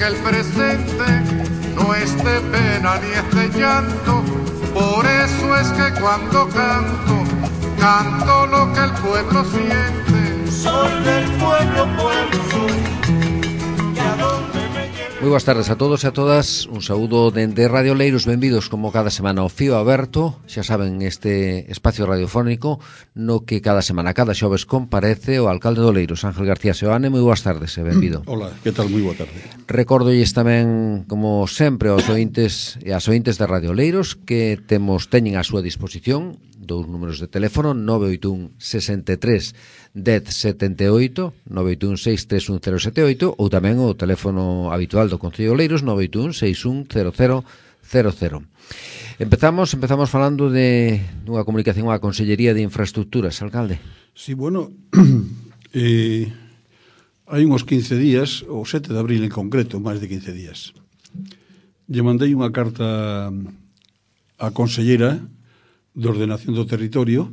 que el presente no es de pena ni es de llanto. Por eso es que cuando canto, canto lo que el pueblo siente. Soy del pueblo, pueblo soy. Y a donde me lleve... Moi boas tardes a todos e a todas. Un saúdo dende Radio Leiros. Benvidos como cada semana ao Fío Aberto. Xa saben, este espacio radiofónico no que cada semana, cada xoves, comparece o alcalde do Leiros, Ángel García Seoane. Moi boas tardes e benvido. Hola, que tal? Moi boa tarde. Recórdolles tamén, como sempre, aos ointes e as ointes de Radio Leiros que teñen a súa disposición dous números de teléfono: 981 63 10 78, 981 631 078, ou tamén o teléfono habitual do Concello de Leiros, 981 61 0000. Empezamos falando de unha comunicación á Consellería de Infraestructuras, alcalde. Sí, bueno, hai uns 15 días, o 7 de abril en concreto, máis de 15 días, lle mandei unha carta á Conselleira de Ordenación do Territorio,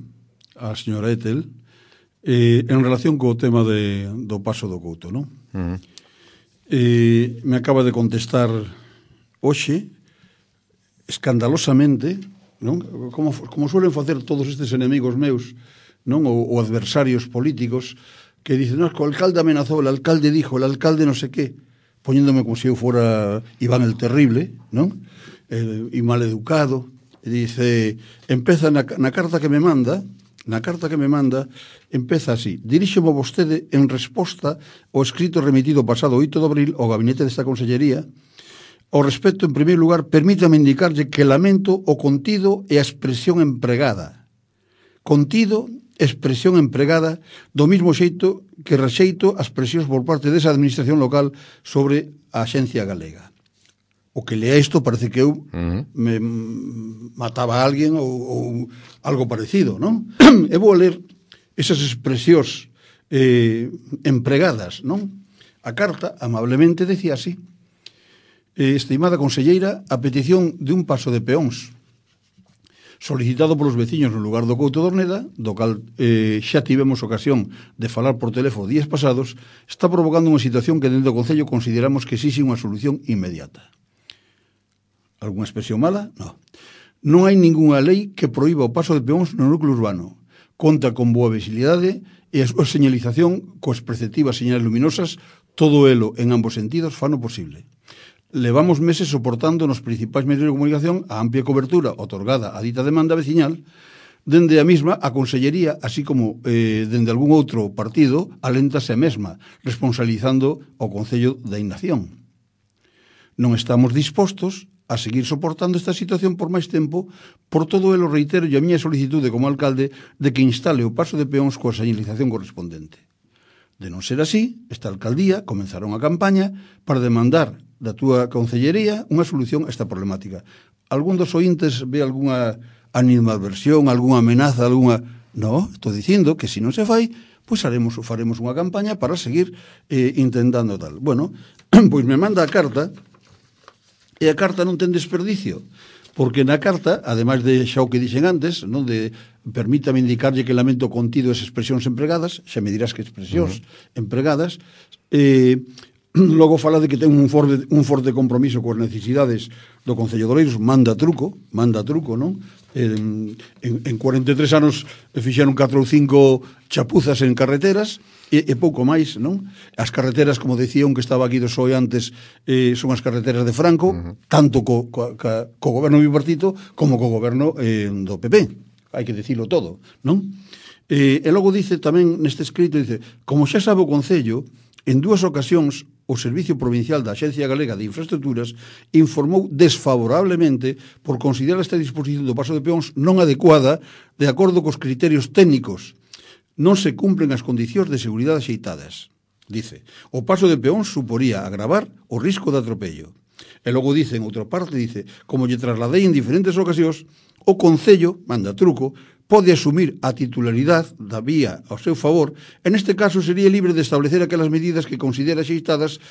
a señora Etel, en relación co tema do Paso do Couto, non? Me acaba de contestar hoxe, escandalosamente, non? Como suelen facer todos estes enemigos meus, non? Ou adversarios políticos, que dicen, no, que o alcalde amenazou, el alcalde dijo, el alcalde no sé qué, poñéndome como se eu fora Iván el Terrible, non? E mal educado. E dice, empeza na carta que me manda, empeza así: diríxome vostede en resposta ao escrito remitido pasado 8 de abril ao gabinete desta consellería. Ao respecto, en primeiro lugar, permítame indicarlle que lamento o contido e a expresión empregada. Contido, expresión empregada, do mismo xeito que rexeito as presións por parte desa administración local sobre a Axencia Galega. O que lea isto parece que eu me mataba a alguén ou algo parecido, non? E vou ler esas expresións empregadas, non? A carta amablemente decía así: estimada conselleira, a petición de un paso de peóns solicitado polos veciños no lugar do Couto de Orneda, do cal xa tivemos ocasión de falar por teléfono días pasados, está provocando unha situación que dentro do Concello consideramos que exixe unha solución inmediata. Algúna expresión mala? No. Non hai ningunha lei que proíba o paso de peóns no núcleo urbano. Conta con boa visibilidade e a súa señalización coas preceptivas señales luminosas, todo elo en ambos sentidos fano posible. Levamos meses soportando nos principais medios de comunicación a amplia cobertura otorgada á dita demanda veciñal, dende a mesma a Consellería, así como dende algún outro partido, aléntase a mesma, responsabilizando ao Concello da inacción. Non estamos dispostos a seguir soportando esta situación por máis tempo. Por todo elo reitero a miña solicitude como alcalde de que instale o paso de peóns coa señalización correspondente. De non ser así, esta alcaldía comenzará unha campaña para demandar da túa concellería unha solución a esta problemática. Algún dos ointes ve algunha animadversión, algunha amenaza, algunha... No, estou dicindo que se non se fai, pois faremos unha campaña para seguir intentando tal. Bueno, pois me manda a carta. E a carta non ten desperdicio, porque na carta, ademais de xa o que dixen antes, non, de permítame indicarlle que lamento contido as expresións empregadas, xa me dirás que expresións empregadas, logo fala de que ten un forte compromiso coas necesidades do Concello de Leiros, manda truco, non? En 43 anos fixeron 4 ou 5 chapuzas en carreteras, e pouco máis, non? As carreteras, como decía un que estaba aquí do PSOE antes, son as carreteras de Franco, tanto co goberno bipartito como co goberno do PP. Hai que dicilo todo, non? E logo dice tamén neste escrito, dice, como xa sabe o Concello, en 2 ocasións o Servicio Provincial da Axencia Galega de Infraestructuras informou desfavorablemente por considerar esta disposición do paso de peóns non adecuada de acordo cos criterios técnicos. Non se cumplen as condicións de seguridade axeitadas. Dice, o paso de peóns suporía agravar o risco de atropello. E logo dice, en outra parte, dice, como lle trasladei en diferentes ocasións, o Concello, manda truco, pode asumir a titularidade da vía ao seu favor e neste caso sería libre de establecer aquelas medidas que considera xeitadas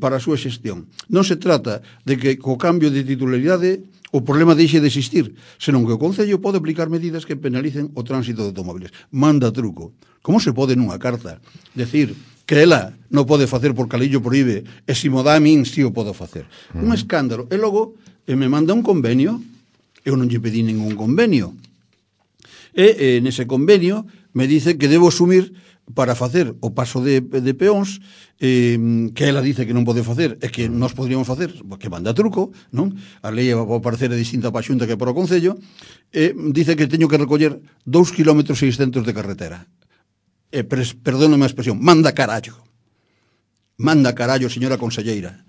para a súa xestión. Non se trata de que co cambio de titularidade o problema deixe de existir, senón que o Concello pode aplicar medidas que penalicen o tránsito de automóviles. Manda truco. Como se pode nunha carta decir que ela non pode facer porque a lei o proíbe e se mo dá a min si o podo facer? Un escándalo. E logo me manda un convenio. Eu non lle pedí ningún convenio. E nese convenio me dice que debo asumir para facer o paso de peóns que ela dice que non pode facer e que nós podríamos facer, que manda truco, non? A lei vai parecer distinta para a Xunta que para o Concello, dice que teño que recoller 2,6 km de carretera. Perdóname a expresión, manda carallo. Manda carallo, señora conselleira.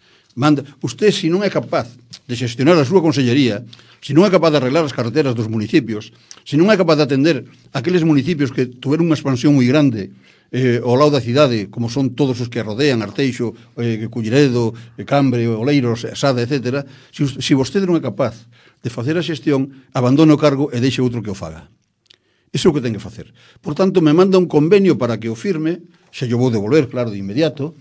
Usted, se non é capaz de xestionar a súa consellería, se non é capaz de arreglar as carreteras dos municipios, se non é capaz de atender aqueles municipios que tuveron unha expansión moi grande ao lado da cidade, como son todos os que rodean, Arteixo, Culleredo, Cambre, Oleiros, Sada, etc., se vostede non é capaz de facer a xestión, abandone o cargo e deixe outro que o faga. Iso é o que ten que facer. Por tanto, me manda un convenio para que o firme, se yo vou devolver, claro, de inmediato,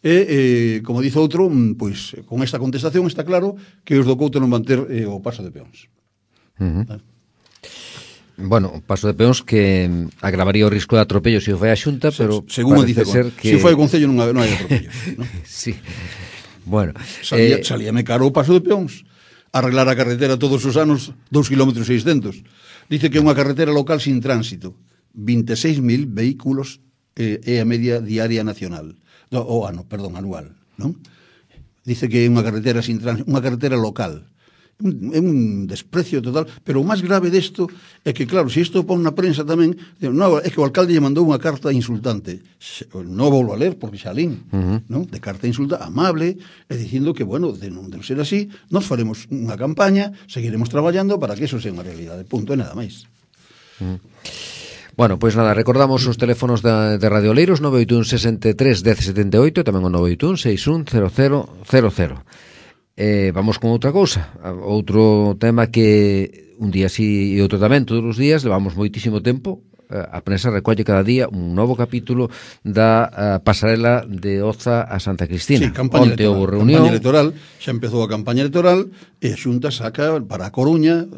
e, como dice outro, pois, con esta contestación está claro que os do Couto non van ter o paso de peóns. Bueno, o paso de peóns que agravaría o risco de atropello se o fai a Xunta, pero según dice ser que... se o fai o Concello non hai atropello, ¿no? Sí. Bueno, salíame caro o paso de peóns. Arreglar a carretera todos os anos 2,6 km. Dice que é unha carretera local sin tránsito. 26.000 vehículos é a media diaria nacional. Anual, non? Dice que é unha carretera sin tránsito, unha carretera local. É un desprecio total, pero o máis grave desto é que, claro, se isto pon na prensa tamén, non, é que o alcalde lle mandou unha carta insultante. Non vou a ler porque xa lín, non? De carta insulta amable, e dicindo que, bueno, de non ser así, nos faremos unha campaña, seguiremos traballando para que eso sea unha realidade. Punto, e nada máis. Bueno, pois nada, recordamos os teléfonos de Radio Oleiros 981 63 1078 e tamén o 981 61 0000. Vamos con outra cousa, outro tema que un día sí e outro tamén, todos os días, levamos moitísimo tempo. A prensa recolle cada día un novo capítulo da pasarela de Oza a Santa Cristina. Sí, campaña electoral, xa empezou a campaña electoral e a Xunta saca para a Coruña,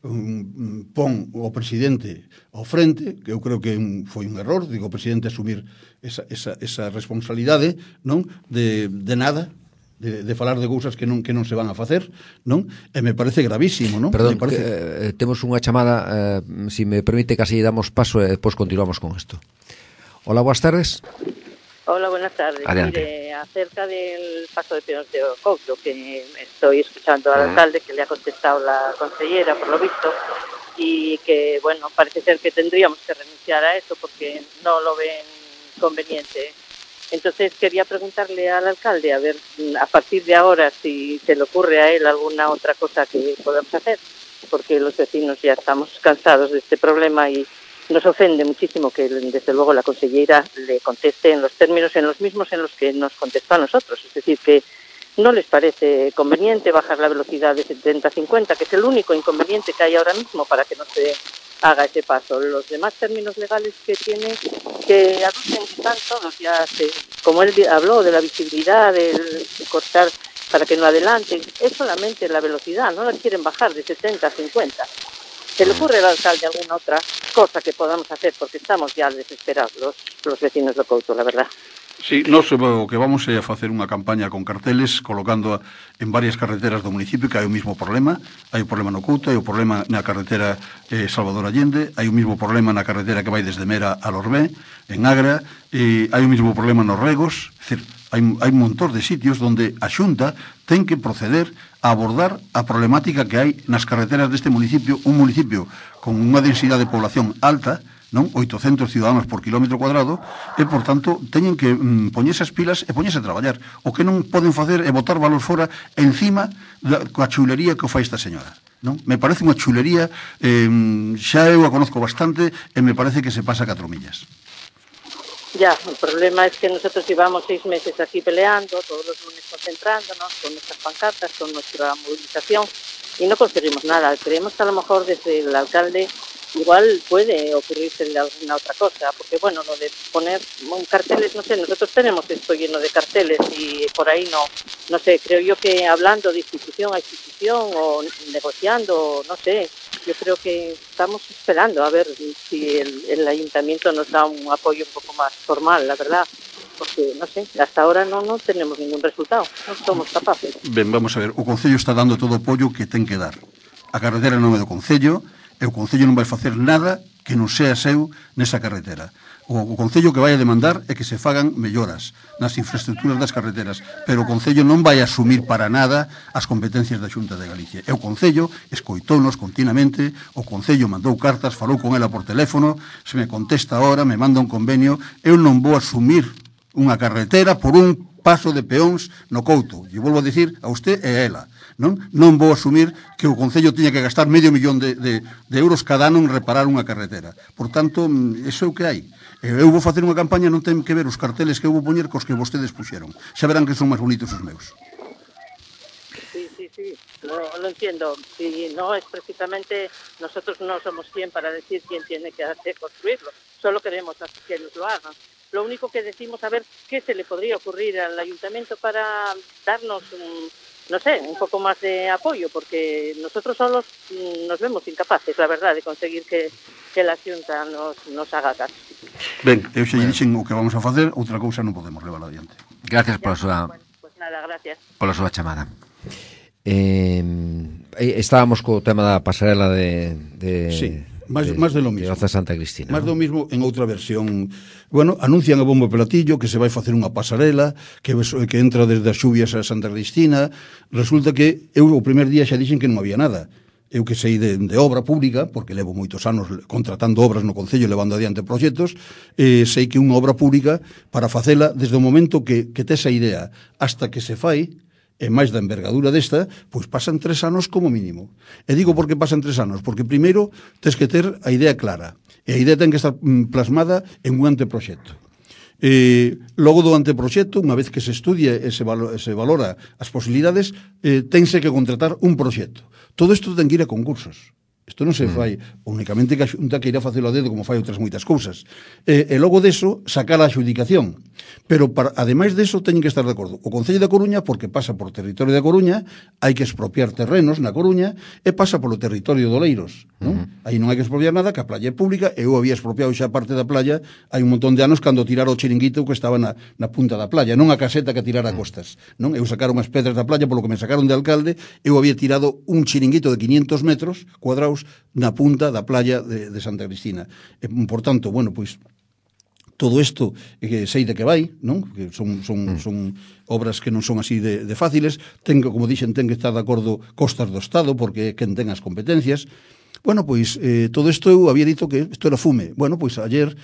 pon o presidente ao frente, que eu creo que foi un error, digo, o presidente asumir esa responsabilidade, non? De nada, de falar de cousas que non se van a facer, non? E me parece gravísimo, non? Perdón, temos unha chamada, si me permite, casi damos paso e depois continuamos con isto. Hola, boas tardes. Hola, buenas tardes. Adelante. Mire, acerca del paso de peóns de Couto, que estoy escuchando al alcalde, que le ha contestado la consellera, por lo visto, y que, bueno, parece ser que tendríamos que renunciar a eso porque no lo ven conveniente. Entonces quería preguntarle al alcalde, a ver, a partir de ahora, si se le ocurre a él alguna otra cosa que podamos hacer, porque los vecinos ya estamos cansados de este problema y nos ofende muchísimo que, desde luego, la consellera le conteste en los términos, en los mismos en los que nos contestó a nosotros. Es decir, que no les parece conveniente bajar la velocidad de 70-50, que es el único inconveniente que hay ahora mismo para que no se haga ese paso. Los demás términos legales que tiene, que aducen, están todos ya, como él habló de la visibilidad, del cortar para que no adelante, es solamente la velocidad, no la quieren bajar de 70 a 50. ¿Se le ocurre al alcalde alguna otra cosa que podamos hacer? Porque estamos ya desesperados los vecinos de Couto, la verdad. Sí, nós o que vamos é a facer unha campaña con carteles colocando en varias carreteras do municipio que hai o mesmo problema. Hai o problema no Couto, hai o problema na carretera Salvador Allende, hai o mesmo problema na carretera que vai desde Mera a Lorbé, en Agra, e hai o mesmo problema nos Regos. É dicir, hai un montón de sitios onde a Xunta ten que proceder a abordar a problemática que hai nas carreteras deste municipio, un municipio con unha densidade de población alta, non? 800 ciudadanos por kilómetro cuadrado, e, por tanto, teñen que poñerse as pilas e poñerse a traballar. O que non poden facer é botar valor fora encima coa chulería que o fai esta señora, non? Me parece unha chulería, xa eu a conozco bastante, e me parece que se pasa 4 millas. Ya, el problema es que nosotros llevamos 6 meses aquí peleando, todos los lunes concentrándonos con nuestras pancartas, con nuestra movilización, y no conseguimos nada. Creemos que a lo mejor desde el alcalde igual puede ocurrirse alguna otra cosa, porque bueno, lo de poner carteles, no sé, nosotros tenemos esto lleno de carteles y por ahí no sé, creo yo que hablando de institución a institución o negociando, no sé, yo creo que estamos esperando a ver si el ayuntamiento nos da un apoyo un poco más formal, la verdad, porque, no sé, hasta ahora no tenemos ningún resultado, non somos capaces. Ben, vamos a ver, o Concello está dando todo o apoio que ten que dar. A carretera non é do Concello, e o Concello non vai facer nada que non sea seu nesa carretera. O Concello que vai a demandar é que se fagan melloras nas infraestructuras das carreteras, pero o Concello non vai asumir para nada as competencias da Xunta de Galicia. E o Concello escoitónos continuamente, o Concello mandou cartas, falou con ela por teléfono, se me contesta ahora, me manda un convenio, eu non vou asumir unha carretera por un paso de peóns no Couto. E volvo a dicir a usted e a ela. Non vou asumir que o Concello tiña que gastar $500,000 de euros cada ano en reparar unha carretera. Por tanto, iso é o que hai. Eu vou facer unha campaña, non ten que ver os carteles que eu vou poñer cos que vostedes puxeron. Xa verán que son máis bonitos os meus. Sí, lo entiendo. Si no es precisamente, nosotros no somos quien para decir quién tiene que hacer construirlo. Solo queremos que nos lo hagan. Lo único que decimos, a ver qué se le podría ocurrir al ayuntamiento para darnos no sé, un poco más de apoyo, porque nosotros solos nos vemos incapaces, la verdad, de conseguir que la Xunta nos haga caso. Ben, eu xa lle dixen o que vamos a facer, outra cousa non podemos levar adiante. Gracias pola súa... Bueno, pues nada, gracias. Pola súa chamada. Estábamos co tema da pasarela de sí, máis de lo mismo. De Oza Santa Cristina. Máis do mismo en outra versión. Bueno, anuncian a bombo platillo que se vai facer unha pasarela que entra desde as Xubias a Santa Cristina. Resulta que eu o primer día xa dixen que non había nada. Eu que sei de obra pública, porque levo moitos anos contratando obras no Concello, levando adiante proxectos, sei que unha obra pública, para facela, desde o momento que tes a idea hasta que se fai, e máis da envergadura desta, pois pasan 3 anos como mínimo. E digo por que pasan 3 anos, porque primeiro tes que ter a idea clara, e a idea ten que estar plasmada en un anteproxecto. Logo do anteproxecto, unha vez que se estudia e se valora as posibilidades, tense que contratar un proxecto. Todo isto ten que ir a concursos. Isto non se fai únicamente que a Xunta que irá facelo a dedo como fai outras moitas cousas. E logo deso, sacar a adxudicación. Pero, ademais deso, teñen que estar de acordo. O Concello da Coruña, porque pasa por territorio da Coruña, hai que expropiar terrenos na Coruña e pasa polo territorio do Oleiros. Aí non hai que expropiar nada, que a playa é pública. Eu había expropiado xa parte da playa hai un montón de anos cando tirara o chiringuito que estaba na punta da playa, non a caseta que tirara a costas. Eu sacaron as pedras da playa polo que me sacaron de alcalde. Eu había tirado un chiringuito de 500 metros cuadrados na punta da playa de Santa Cristina. Por tanto, bueno, pois todo isto que sei de que vai, non? Que son obras que non son así de fáciles, como dixen, ten que estar de acordo costas do Estado, porque quen ten as competencias. Bueno, pois todo isto eu había dito que isto era fume. Bueno, pois ayer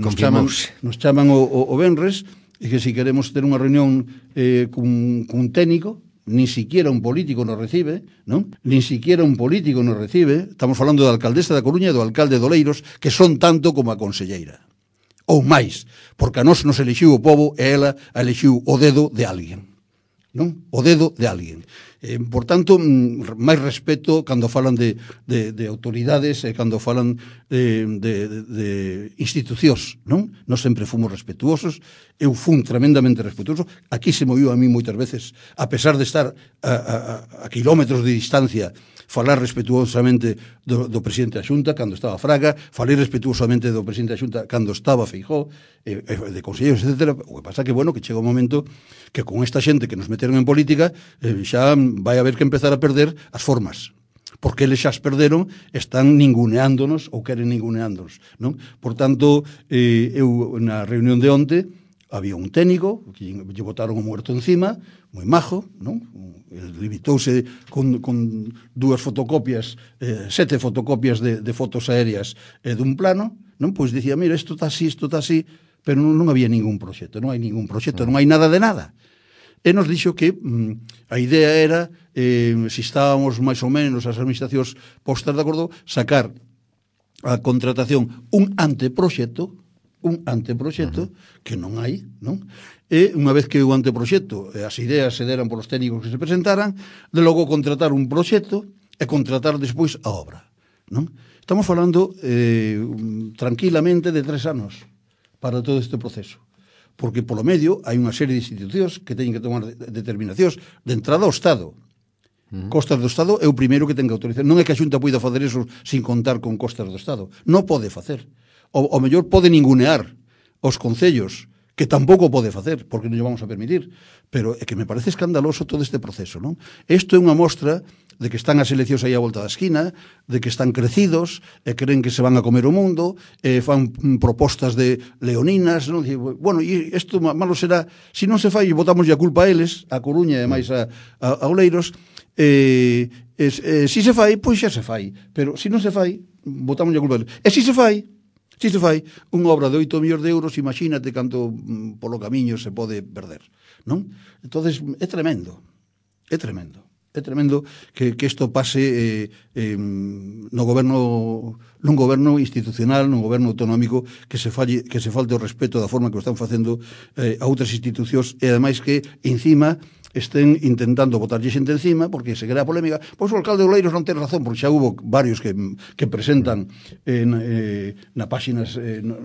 nos chaman o venres e que se queremos ter unha reunión cun técnico. Ni siquiera un político nos recibe, non? Ni siquiera un político nos recibe. Estamos falando da alcaldesa da Coruña e do alcalde de Oleiros, que son tanto como a conselleira. Ou máis, porque a nós nos elixiu o pobo e ela elixiu o dedo de alguén. Non? O dedo de alguén. Por tanto, máis respeto cando falan de autoridades e cando falan de institucións, non? Nós sempre fomos respetuosos. Eu fun tremendamente respetuoso. Aquí se moviu a mí moitas veces, a pesar de estar a kilómetros de distancia, falar respetuosamente do presidente da Xunta cando estaba Fraga, falei respetuosamente do presidente da Xunta cando estaba Feijóo, de conselleiros, etc. O que pasa que, bueno, que chega un momento que con esta xente que nos meteron en política xa vai haber que empezar a perder as formas, porque eles xa as perderon, están ninguneándonos ou queren ninguneándonos, non? Por tanto, eu na reunión de onte había un técnico que lle botaron o muerto encima, moi majo, non? Limitouse con 2 fotocopias, 7 fotocopias de fotos aéreas dun plano, non? Pois dicía, mira, isto está así, pero non había ningún proxecto, non hai ningún proxecto, non hai nada de nada. E nos dixo que a idea era, se estábamos máis ou menos as administracións postas de acordo, sacar a contratación un anteproxecto, un anteproxecto que non hai, non? E unha vez que o anteproxecto e as ideas se deran polos técnicos que se presentaran, de logo contratar un proxecto e contratar despois a obra, non? Estamos falando tranquilamente de 3 anos para todo este proceso, porque polo medio hai unha serie de institucións que teñen que tomar determinacións de entrada ao Estado. Costas do Estado é o primeiro que ten que autorizar. Non é que a Xunta poida facer eso sin contar con costas do Estado. Non pode facer. O mellor pode ningunear os concellos, que tampouco pode facer, porque non lle vamos a permitir. Pero é que me parece escandaloso todo este proceso, non? Isto é unha mostra de que están as eleccións aí a volta da esquina, de que están crecidos, e creen que se van a comer o mundo, fan propostas de leoninas, non? Bueno, e isto malo será, se non se fai, botamos a culpa a eles, a Coruña e máis a Oleiros, se se fai, pois xa se fai, pero se non se fai, botamos a culpa a eles. E se se fai unha obra de 8 millóns de euros, imagínate canto polo camiño se pode perder, non? Entonces é tremendo que isto pase nun goberno institucional, nun goberno autonómico, que se falte o respeto da forma que o están facendo a outras institucións, e ademais que encima estén intentando botarlle xente encima porque se crea polémica. Pois o alcalde de Oleiros non ten razón, porque xa hubo varios que presentan nas páxinas,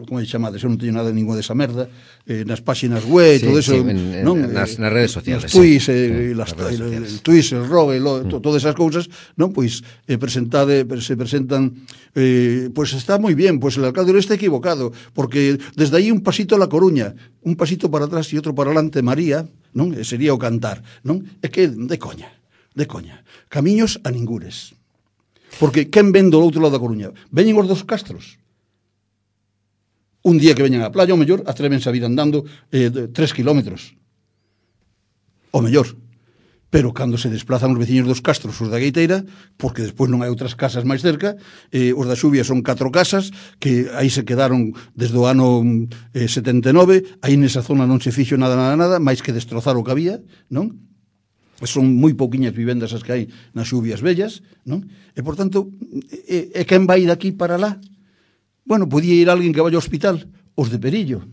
como lle chamades, eu non teño nada ninguna desa merda, nas páxinas web, todo eso, nas redes sociales, nas tuits, el tuits, el rogue, todas esas cousas, non? Pois se presentan, pois está moi bien, pois el alcalde está equivocado, porque desde aí un pasito a La Coruña, un pasito para atrás e outro para adelante, María, non? Sería o cantar, non? É que de coña. Camiños a ningures. Porque quen ven do outro lado da Coruña? Veñen os dos castros. Un día que veñan á playa, o mellor, atrévense a vir andando 3 kilómetros. O mellor. Pero cando se desplazan os veciños dos castros, os da Gueiteira, porque despois non hai outras casas máis cerca, os da Xuvia son 4 casas, que aí se quedaron desde o ano 79, aí nesa zona non se fixo nada, máis que destrozar o que había, non? Son moi pouquiñas vivendas as que hai nas Xuvias vellas, non? E, por tanto, quen vai daqui para lá? Bueno, podía ir alguén que vai ao hospital, os de Perillo.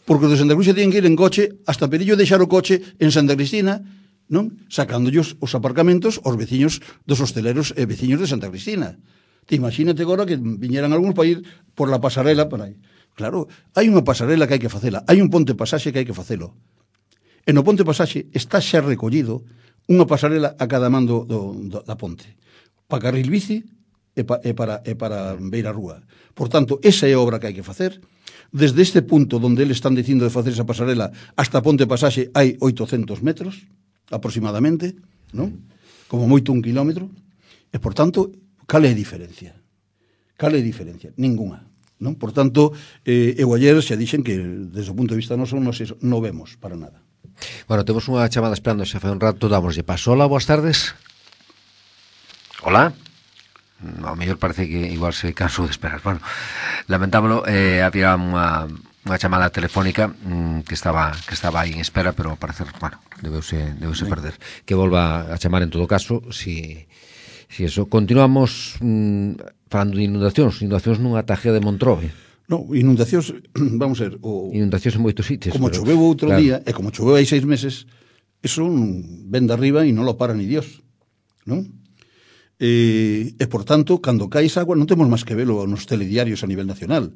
Porque os de Santa Cruz tienen que ir en coche hasta Perillo, deixar o coche en Santa Cristina, non? Sacándollos os aparcamentos aos veciños dos hosteleros e veciños de Santa Cristina. Te imagínate agora que viñeran algúns para ir por la pasarela para aí. Claro, hai unha pasarela que hai que facela, hai un ponte pasaxe que hai que facelo. E no ponte pasaxe está xa recollido unha pasarela a cada man da ponte. Para carril bici e para beira rúa. Por tanto, esa é a obra que hai que facer. Desde este punto donde eles están dicindo de facer esa pasarela hasta ponte pasaxe hai 800 metros aproximadamente, non? Como moito 1 kilómetro, e por tanto, cal é a diferencia? Ninguna, non? Por tanto, eu ayer xa dixen que desde o punto de vista noso non vemos para nada. Bueno, temos unha chamada esperando xa fai un rato, damoslle paso. Hola, boas tardes. Hola. Ao mellor parece que igual se cansou de esperar. Bueno, lamentámoslo, había unha chamada telefónica que estaba aí en espera, pero ao parecer, bueno, debeuse perder. Que volva a chamar en todo caso, si eso. Continuamos falando de inundacións nunha tajea de Montrobe. No, inundacións, vamos a ver, inundacións en moitos sitios. Como choveu outro día, e como choveu hai 6 meses, eso ven de arriba e non lo para ni Dios, non? E por tanto, cando cae esa agua non temos máis que velo nos telediarios a nivel nacional,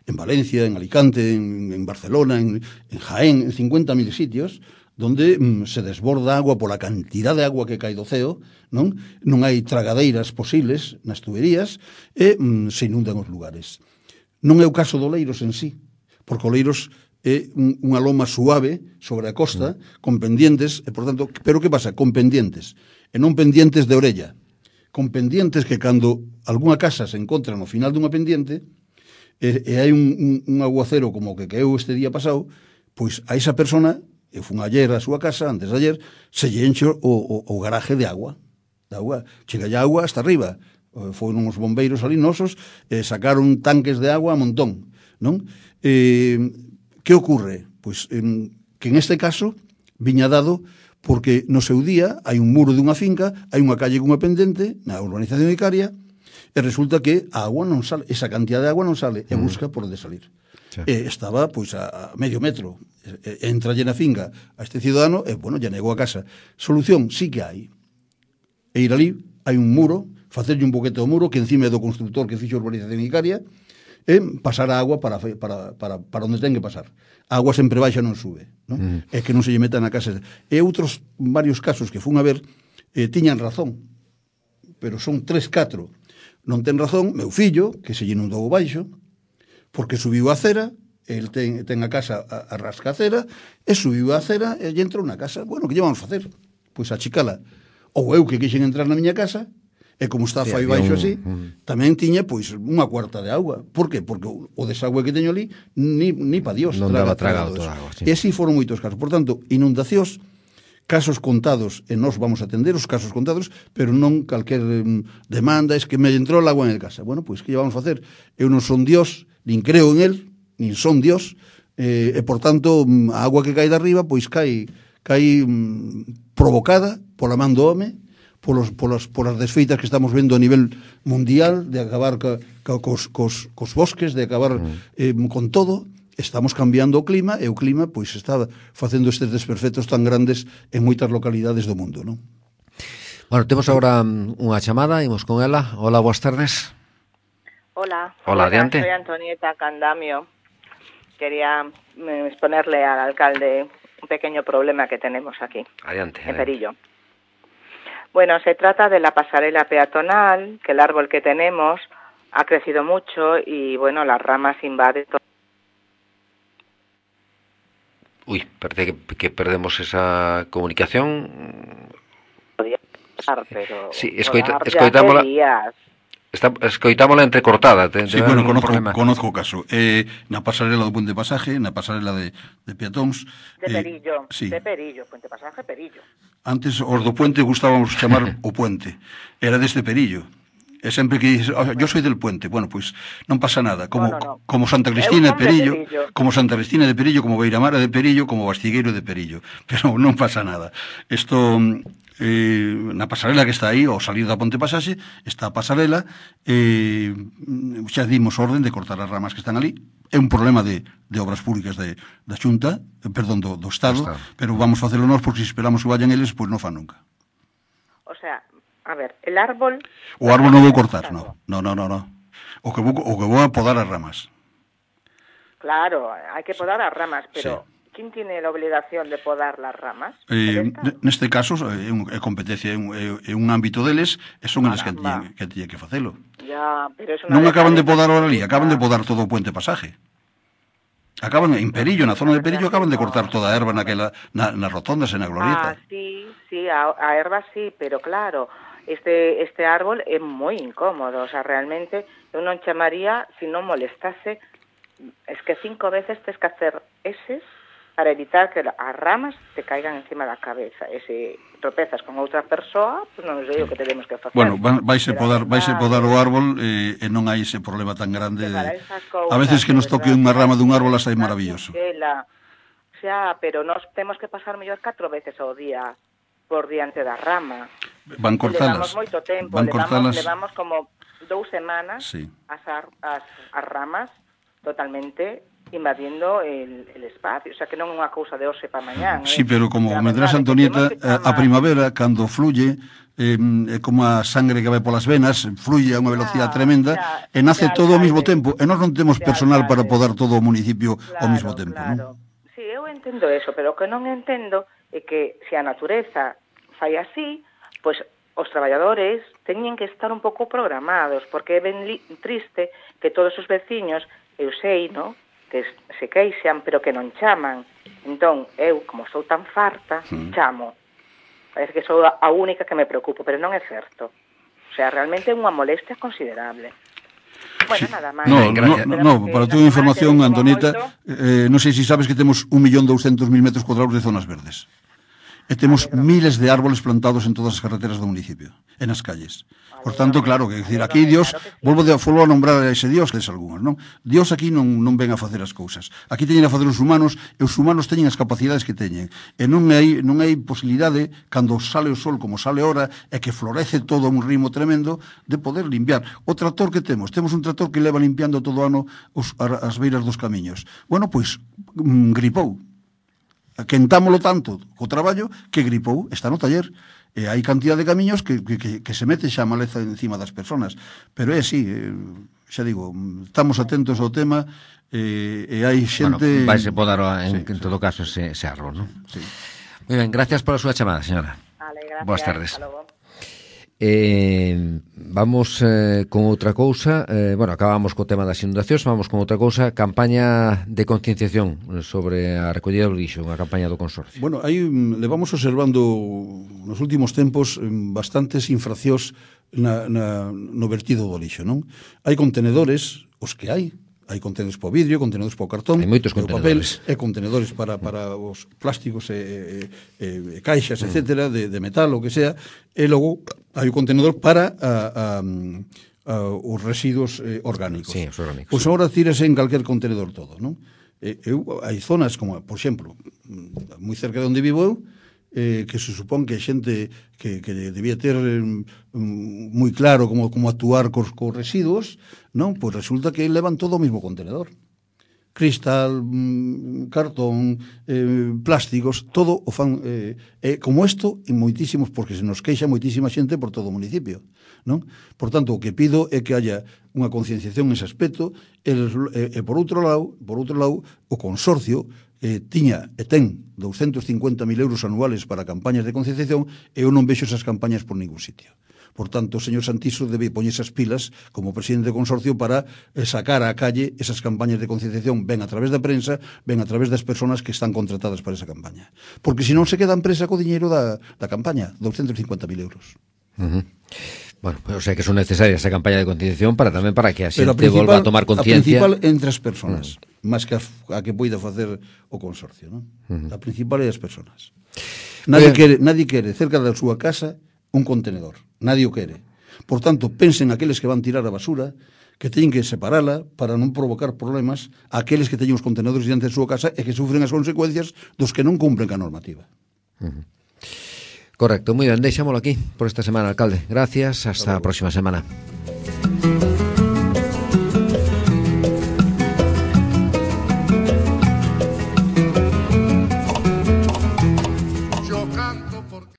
en Valencia, en Alicante, en Barcelona, en Jaén, en 50.000 sitios, donde se desborda agua pola cantidad de agua que cae do ceo, non hai tragadeiras posibles nas tuberías e se inundan os lugares. Non é o caso do Oleiros en sí, porque Oleiros é unha loma suave sobre a costa, con pendientes, e por tanto, pero que pasa? Con pendientes, e non pendientes de orella, con pendientes que cando algunha casa se encontra no final dunha pendiente, e hai un aguacero como que caeu este día pasado, pois a esa persona, eu fun ayer á súa casa, antes de ayer, se lle enche o garaje de agua, chega ya agua hasta arriba. Foron os bombeiros ali nosos, sacaron tanques de agua a montón, non? Que ocorre? Pois que en este caso viña dado porque no seu día hai un muro dunha finca, hai unha calle cunha pendente na urbanización de Icaria, e resulta que a agua non sale, esa cantidad de agua non sale, e busca por onde salir. Sí. Estaba, pois, a medio metro. Entra na finga a este cidadano e, bueno, ya negou a casa. Solución, sí que hai. E ir ali, hai un muro, facerlle un boquete ao muro, que encima é do constructor que fixo a urbanización Icaria, e pasar a agua para onde ten que pasar. A agua sempre baixa, non sube, non? É que non se lle meta na casa. E outros varios casos que fun a ver tiñan razón, pero son 3-4. Non ten razón meu fillo, que se lle inundou o baixo, porque subiu a cera, el ten a casa a rascacera, e subiu a cera e lle entrou na casa. Bueno, que lle vamos facer? Pois achicala. Ou eu que quixen entrar na miña casa, e como está fai baixo así, tamén tiña, pois, unha cuarta de agua. Por qué? Porque o desagüe que teño ali, ni pa Dios. Non daba tragado toda a agua, sí. E así foron moitos casos. Por tanto, inundacións, casos contados, e nós vamos a atender os casos contados, pero non calquer demanda, es que me entrou el agua en casa. Bueno, pois, que lle vamos facer? Eu non son Dios, nin creo en él, nin son Dios, e, por tanto, a agua que cae de arriba, pois, cae provocada pola man do home, polas desfeitas que estamos vendo a nivel mundial, de acabar cos bosques, de acabar con todo. Estamos cambiando o clima, e o clima, pois, está facendo estes desperfectos tan grandes en moitas localidades do mundo, non? Bueno, temos agora unha chamada, imos con ela. Hola, boas tardes. Hola. Hola, adiante. Soy Antonieta Candamio. Quería exponerle al alcalde un pequeño problema que tenemos aquí, Adiante. en Perillo. Bueno, se trata de la pasarela peatonal, que el árbol que tenemos ha crecido mucho y, bueno, las ramas invaden todo. Uy, parece que perdemos esa comunicación. Pero Sí, escoitámola entrecortada. Sí, bueno, conozco o caso. Na pasarela do Puente Pasaje, na pasarela de peatóns... De Perillo, sí. de Perillo, Puente Pasaje, Perillo. Antes, os do Puente gustábamos chamar o Puente. Era deste Perillo. E sempre que dices, yo soy del Puente, bueno, pois non pasa nada, como Santa Cristina de Perillo, como Santa Cristina de Perillo, como Beiramara de Perillo, como Bastigueiro de Perillo, pero non pasa nada. Isto, na pasarela que está aí, ao salir da Ponte Pasaxe, está a pasarela, xa dimos orden de cortar as ramas que están ali. É un problema de obras públicas da Xunta, perdón, do Estado, pero vamos facelo nós, porque se esperamos que vayan eles, pois non fan nunca. O sea, a ver, el árbol... O árbol non vou cortar, no. O que vou a podar as ramas. Claro, hai que podar as ramas, pero sí. ¿Quién tiene la obligación de podar las ramas? Neste caso, é competencia, é un ámbito deles, e son eles que tiñen que facelo. Ya, pero eso non acaban de podar ahora ali, acaban de podar todo o Puente Pasaje. Acaban en Perillo, na zona de Perillo, acaban de cortar toda a erva nas rotondas e na glorieta. Sí, a erva sí, pero claro, este árbol é moi incómodo, o sea, realmente eu non chamaría, se non molestase, es que 5 veces tes que hacer eses para evitar que as ramas te caigan encima da cabeza. E se tropezas con outra persoa, pues non sei o que tenemos que facer. Bueno, vaise podar o árbol e non hai ese problema tan grande. A veces que nos toque unha rama dun árbol as hai maravilloso. Xa, pero nós temos que pasar mellor 4 veces ao día por diante da rama. Van cortalas. Levamos moito tempo, levamos como 2 semanas as ramas totalmente invadindo el espacio, o sea, que non é unha cousa de hoxe para mañán. Sí, pero como comentarás, Antonieta, a primavera, cando fluye, é como a sangre que vai polas venas, fluye a unha velocidade tremenda, e nace todo ao mesmo tempo, e nós non temos personal para podar todo o municipio ao mesmo tempo, non? Sí, eu entendo eso, pero o que non entendo é que se a natureza fai así, pois os traballadores teñen que estar un pouco programados, porque é ben triste que todos os veciños, eu sei, no?, que se queixan, pero que non chaman. Entón, eu, como sou tan farta, chamo. Parece que sou a única que me preocupo, pero non é certo. O sea, realmente é unha molestia considerable. Bueno, nada máis. No, para a túa información, Antonieta, non sei se sabes que temos 1.200.000 metros cuadrados de zonas verdes. E temos miles de árboles plantados en todas as carreteras do municipio, e nas calles. Por tanto, claro, que decir, aquí Dios, volvo a nombrar a ese Dios, les algúns, non? Dios aquí non ven a facer as cousas. Aquí teñen a facer os humanos, e os humanos teñen as capacidades que teñen. E non hai posibilidade, cando sale o sol como sale ora, e que florece todo a un ritmo tremendo, de poder limpiar. O trator que temos un trator que leva limpiando todo o ano as beiras dos camiños. Bueno, pois, gripou. Quentámolo tanto co traballo que gripou, está no taller. E hai cantidad de camiños que se mete xa a maleza encima das persoas. Pero é así, xa digo, estamos atentos ao tema e hai xente... Bueno, vaise podar en todo caso ese árbol, non? Sí. Moi ben, gracias pola súa chamada, señora. Vale, gracias. Boas tardes. Hasta logo. Vamos con outra cousa. Bueno, acabamos co tema das inundacións. Vamos con outra cousa. Campaña de concienciación sobre a recollida do lixo, unha campaña do Consorcio. Bueno, aí levamos observando nos últimos tempos bastantes infraccións no vertido do lixo, non? Hai contenedores, os que hai contenedores para o vidrio, contenedores para o cartón, hai moitos contenedores, papel, e contenedores para os plásticos e caixas, etcétera, de metal, o que sea, e logo hai o contenedor para os residuos orgánicos. Sí, os orgánicos. Pois agora tírase en calquer contenedor todo, non? Hai zonas como, por exemplo, moi cerca de onde vivo eu, que se supón que a xente que debía ter moi claro como actuar cos residuos, non? Pois resulta que levan todo o mesmo contenedor. Cristal, cartón, plásticos, todo o fan como isto en moitísimos, porque se nos queixa moitísima xente por todo o municipio, non? Por tanto, o que pido é que haya unha concienciación nese aspecto e por outro lado, o Consorcio tiña e ten 250.000 euros anuales para campañas de concienciación e eu non vexo esas campañas por ningún sitio. Por tanto, o señor Santiso debe poñer esas pilas como presidente do Consorcio para sacar á calle esas campañas de concienciación, ben a través da prensa, ben a través das persoas que están contratadas para esa campaña. Porque senón se queda a empresa co diñeiro da campaña, 250.000 euros. Bueno, o sea que son necesarias esa campaña de concienciación para que a xente volva a tomar conciencia. A principal entre as persoas, máis que a que poida facer o Consorcio, non? A principal é as persoas. Nadie quere cerca da súa casa un contenedor. Nadie o quere. Por tanto, pensen aqueles que van tirar a basura, que teñen que separala para non provocar problemas a aqueles que teñen os contenedores diante da súa casa e que sufren as consecuencias dos que non cumpren ca normativa. Correcto, moi ben, deixámolo aquí por esta semana, alcalde. Gracias, hasta a próxima semana.